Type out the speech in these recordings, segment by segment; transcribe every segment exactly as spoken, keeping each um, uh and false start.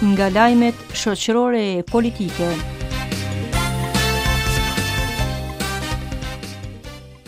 Nga lajmet shoqërore e politike.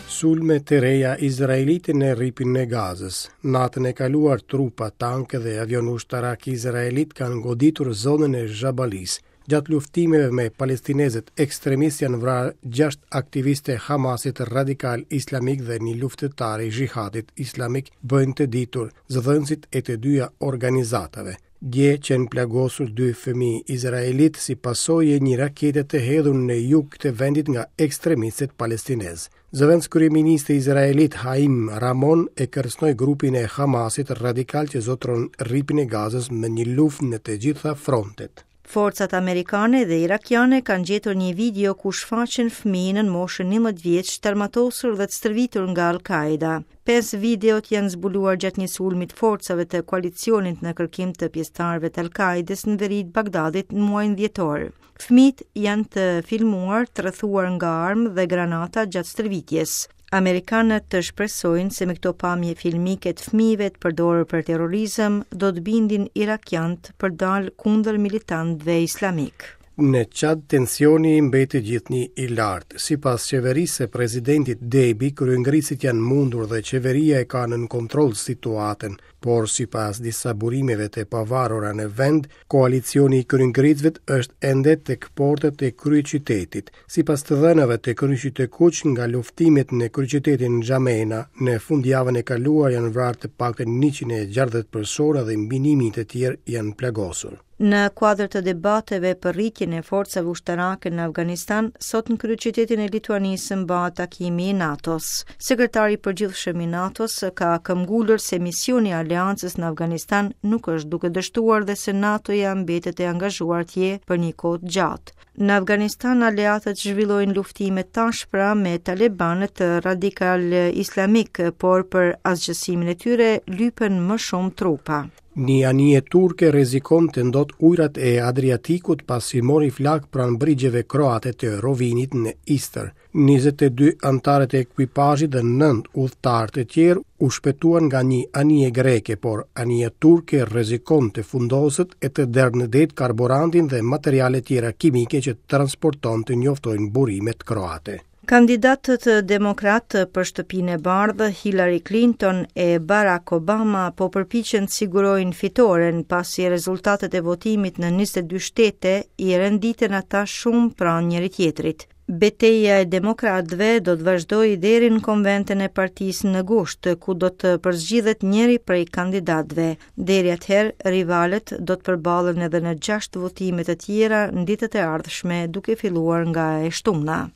Sulme të reja izraelite në Rripin e Gazës. Natën e kaluar trupa, tanke dhe avion ushtarak izraelit kanë goditur zonën e Zhabalisë. Gjatë luftimeve me palestinezët ekstremistë janë vrarë gjashtë aktivistë të Hamasit radikal islamik dhe një luftëtar i Xhihadit Islamik, bëjnë të ditur zëdhënësit e të dyja organizatave. Dje qenë plagosur dy fëmijë izraelit si pasojë e një rakete të hedhur në jug të vendit nga ekstremistët palestinezë. Zëvendëskryeministri izraelit Haim Ramon e kërcënoi grupin e Hamasit radikal që zotëron Rripin e Gazës me një luftë në të gjitha frontet. Forcat amerikane dhe irakiane kanë gjetur një video ku shfaqen fëmijë nën moshën njëmbëdhjetë vjeç të armatosur dhe të stërvitur nga Al-Qaeda. Pesë videot janë zbuluar gjatë një sulmi të forcave të koalicionit në kërkim të pjesëtarëve të Al-Qaedës në veri të Bagdadit në muajin dhjetor. Fëmijët janë të filmuar, të rrethuar nga armë dhe granata gjatë stërvitjes. Amerikanët të shpresojnë se me këto pamje filmike të fëmijëve të përdorur për terrorizëm do të bindin irakianët për dalë kundër militantëve islamik. Në Çad tensioni mbetet gjithnjë i lartë. Sipas qeverisë së presidentit Deby, kryengritësit janë mundur dhe qeveria e ka nën kontroll situatën, por sipas disa burimeve të pavarura në vend, koalicioni i kryengritësve është ende tek portet e kryeqytetit. Sipas të dhënave të Kryqit të Kuq, nga luftimet në kryeqytetin N'Djamena, në fundjavën e kaluar janë vrarë të paktën njëqind e gjashtëdhjetë persona dhe mbi një mijë të tjerë janë plagosur. Në kuadër të debateve për rritjen e forcave ushtarake në Afganistan, sot në kryeqytetin e Lituanisë mbahet takimi i NATO-s. Sekretari i përgjithshëm i NATO-s ka këmbgulur se misioni i aleancës në Afganistan nuk është duke dështuar dhe se NATO-ja mbetet e angazhuar atje për një kohë të gjatë. Në Afganistan, aleatët zhvillojnë luftime të ashpra me talibanët radikal islamik, por për asgjësimin e tyre lypen më shumë trupa. Një anije turke rrezikon të ndot ujërat e Adriatikut pasi mori flak pranë brigjeve kroate të Rovinit në Istër. njëzet e dy anëtarët e ekuipazhit dhe nëntë udhëtarë të tjerë u shpëtuan nga një anije greke, por anija turke rrezikon të fundoset e të derdhë në det karburantin dhe materiale tjera kimike që transporton, të njoftojnë burimet kroate. Kandidatët demokratë për Shtëpinë e Bardhë, Hillary Clinton e Barack Obama, po përpiqen të sigurojnë fitoren pasi rezultatet e votimit në njëzet e dy shtete i renditen ata shumë pranë njëri tjetrit. Beteja e demokratëve do të vazhdojë deri në konventën e partisë në gusht, ku do të përzgjidhet njëri prej kandidatëve. Deri atëherë, rivalët do të përballen edhe në gjashtë votime të tjera në ditët e ardhshme, duke filluar nga e shtuna.